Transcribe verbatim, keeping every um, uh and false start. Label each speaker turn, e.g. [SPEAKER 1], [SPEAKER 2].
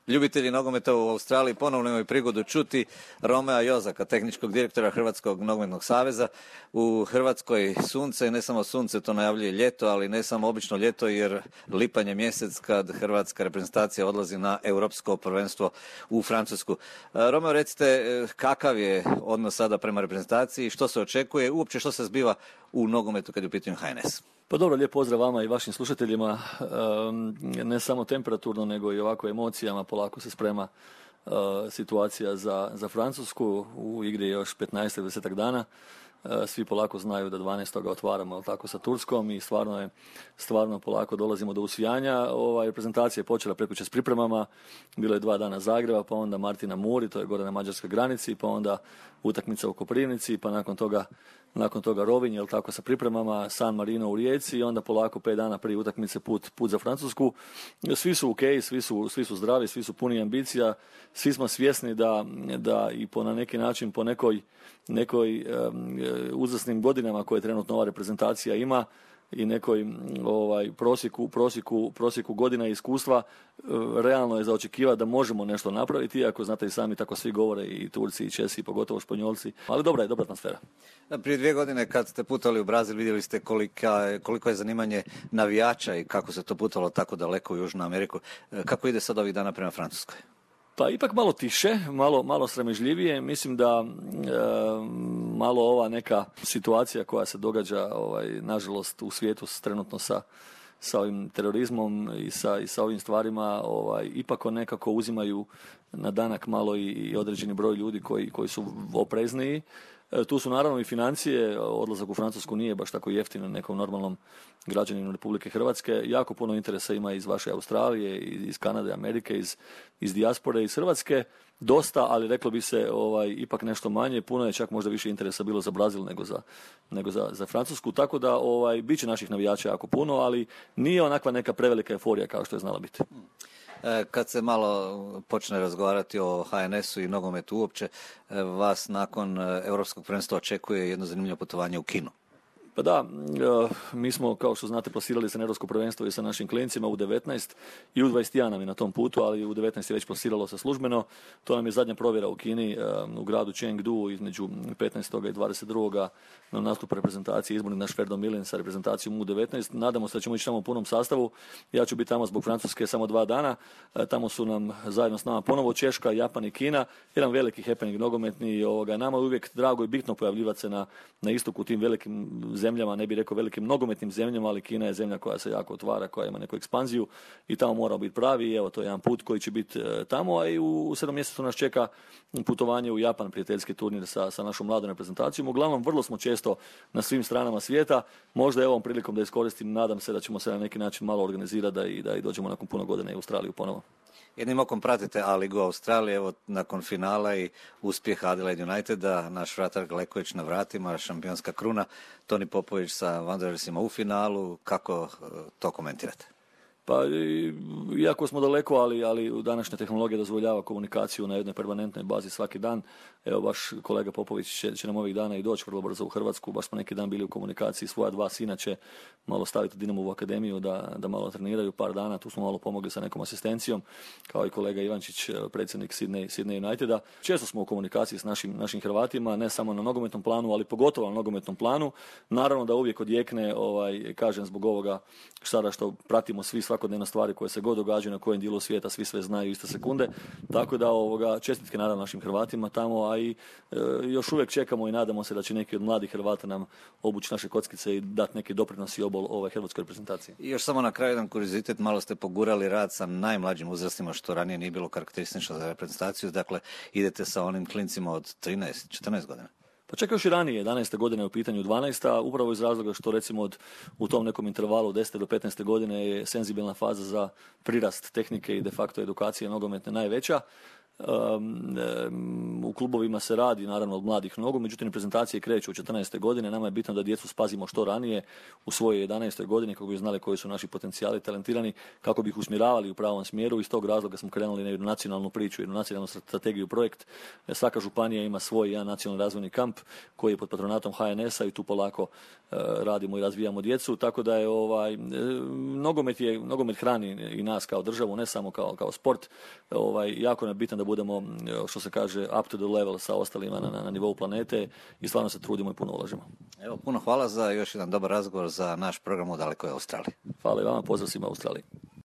[SPEAKER 1] Ljubitelji nogometa u Australiji ponovno imaju prigodu čuti Romea Jozaka, tehničkog direktora Hrvatskog nogometnog saveza. U Hrvatskoj sunce, ne samo sunce, to najavljuje ljeto, ali ne samo obično ljeto, jer lipanj je mjesec kad hrvatska reprezentacija odlazi na europsko prvenstvo u Francusku. Romeo, recite kakav je odnos sada prema reprezentaciji, što se očekuje, uopće što se zbiva u nogometu kad je u pitanju H N S?
[SPEAKER 2] Pa dobro, lijep pozdrav vama i vašim slušateljima. Ne samo temperaturno, nego i ovako emocijama. Polako se sprema situacija za, za Francusku. U igri je još petnaest do dvadeset dana. Svi polako znaju da dvanaestog otvaramo tako sa Turskom i stvarno je stvarno polako dolazimo do usvijanja. Ova reprezentacija je počela prekjučer s pripremama. Bilo je dva dana Zagreba, pa onda Martina Muri, to je gore na mađarskoj granici, pa onda utakmica u Koprivnici, pa nakon toga nakon toga Rovinj, jel tako, sa pripremama, San Marino u Rijeci i onda polako pet dana prije utakmice put, put za Francusku. Svi su ok, svi su, svi su zdravi, svi su puni ambicija, svi smo svjesni da, da i po na neki način po nekoj, nekoj um, uzasnim godinama koje trenutno ova reprezentacija ima i nekoj ovaj, prosjeku, prosjeku, prosjeku godina i iskustva, realno je za očekivati da možemo nešto napraviti, iako znate i sami tako svi govore, i Turci i Česi, pogotovo Španjolci, ali dobra je, dobra atmosfera.
[SPEAKER 1] Prije dvije godine kad ste putovali u Brazil vidjeli ste kolika, koliko je zanimanje navijača i kako se to putovalo tako daleko u Južnu Ameriku. Kako ide sad ovih dana prema Francuskoj?
[SPEAKER 2] Pa ipak malo tiše, malo, malo sramežljivije. Mislim da e, malo ova neka situacija koja se događa ovaj, nažalost u svijetu trenutno sa, sa ovim terorizmom i sa, i sa ovim stvarima ovaj, ipak nekako uzimaju na danak malo i, i određeni broj ljudi koji, koji su oprezniji. E, tu su naravno i financije, odlazak u Francusku nije baš tako jeftino nekom normalnom građaninu Republike Hrvatske. Jako puno interesa ima iz vaše Australije, iz Kanade, Amerike, iz, iz dijaspore, iz Hrvatske. Dosta, ali reklo bi se ovaj, ipak nešto manje. Puno je čak možda više interesa bilo za Brazil nego za, nego za, za Francusku. Tako da ovaj, bit će naših navijača jako puno, ali nije onakva neka prevelika euforija kao što je znala biti.
[SPEAKER 1] Kad se malo počne razgovarati o H N S-u i nogometu uopće, vas nakon europskog prvenstva očekuje jedno zanimljivo putovanje u Kinu.
[SPEAKER 2] Pa da, mi smo, kao što znate, plasirali se na europsko prvenstvo i sa našim klincima u devetnaest i u dvadeset jedan nam je na tom putu, ali u devetnaest je već plasiralo se službeno. To nam je zadnja provjera u Kini, u gradu Chengdu, između petnaestog i dvadeset drugog na nastup reprezentacije, izborni naš Ferdo Milen sa reprezentacijom u devetnaest. Nadamo se da ćemo ići tamo u punom sastavu. Ja ću biti tamo zbog Francuske samo dva dana. Tamo su nam zajedno s nama ponovo Češka, Japan i Kina. Jedan veliki happening nogometni. Ovoga, nama je uvijek drago i bitno pojavljivati se na, na istoku u tim velikim zemljama, ne bih rekao velikim nogometnim zemljama, ali Kina je zemlja koja se jako otvara, koja ima neku ekspanziju i tamo mora biti pravi i evo to je jedan put koji će biti e, tamo, a i u, u sedam mjesecu nas čeka putovanje u Japan, prijateljski turnir sa, sa našom mladom reprezentacijom. Uglavnom, vrlo smo često na svim stranama svijeta, možda je ovom prilikom da iskoristim, nadam se da ćemo se na neki način malo organizirati da i, da i dođemo nakon puno godina i u Australiju ponovo.
[SPEAKER 1] Jednim okom pratite A-ligu Australije, evo nakon finala i uspjeha Adelaide Uniteda, naš vratar Gleković na vratima, šampionska kruna, Toni Popović sa Wanderersima u finalu, kako to komentirate?
[SPEAKER 2] Pa, iako smo daleko, ali, ali današnja tehnologija dozvoljava komunikaciju na jednoj permanentnoj bazi svaki dan. Evo, baš kolega Popović će, će nam ovih dana i doći vrlo brzo u Hrvatsku. Baš smo neki dan bili u komunikaciji, svoja dva sina će malo staviti Dinamovu akademiju da, da malo treniraju par dana. Tu smo malo pomogli sa nekom asistencijom, kao i kolega Ivančić, predsjednik Sydney, Sydney Uniteda. Često smo u komunikaciji s našim, našim Hrvatima, ne samo na nogometnom planu, ali pogotovo na nogometnom planu. Naravno da uvijek odjekne, ovaj, kažem, zbog ovoga sada što pratimo svi svakodnevne stvari koje se god događaju na kojem dijelu svijeta, svi sve znaju iste sekunde, tako da ovoga, čestitke naravno našim Hrvatima tamo, a i e, još uvijek čekamo i nadamo se da će neki od mladih Hrvata nam obući naše kockice i dati neki doprinos i obol ove hrvatskoj reprezentaciji.
[SPEAKER 1] I još samo na kraju jedan kuriozitet, malo ste pogurali rad sa najmlađim uzrastima, što ranije nije bilo karakteristično za reprezentaciju, dakle idete sa onim klincima od trinaest četrnaest godina.
[SPEAKER 2] Pa čak još i ranije, jedanaeste godine je u pitanju dvanaesta, upravo iz razloga što recimo od, u tom nekom intervalu desete do petnaeste godine je senzibilna faza za prirast tehnike i de facto edukacije nogometne najveća. u klubovima se radi naravno od mladih nogu, međutim prezentacije kreću u četrnaeste godine. Nama je bitno da djecu spazimo što ranije u svojoj jedanaestoj godini kako bi znali koji su naši potencijali talentirani, kako bi ih usmjeravali u pravom smjeru. Iz tog razloga smo krenuli na jednu nacionalnu priču, jednu nacionalnu strategiju, projekt. Svaka županija ima svoj jedan nacionalni razvojni kamp koji je pod patronatom H N S-a i tu polako radimo i razvijamo djecu, tako da je ovaj nogomet je nogomet hrani i nas kao državu, ne samo kao kao sport. Ovaj jako nam je bitno da budemo, što se kaže, up to the level sa ostalima na, na, na nivou planete i stvarno se trudimo i puno ulažemo.
[SPEAKER 1] Evo, puno hvala za još jedan dobar razgovor za naš program u dalekoj Australiji.
[SPEAKER 2] Hvala i vama, pozdrav svima u Australiji.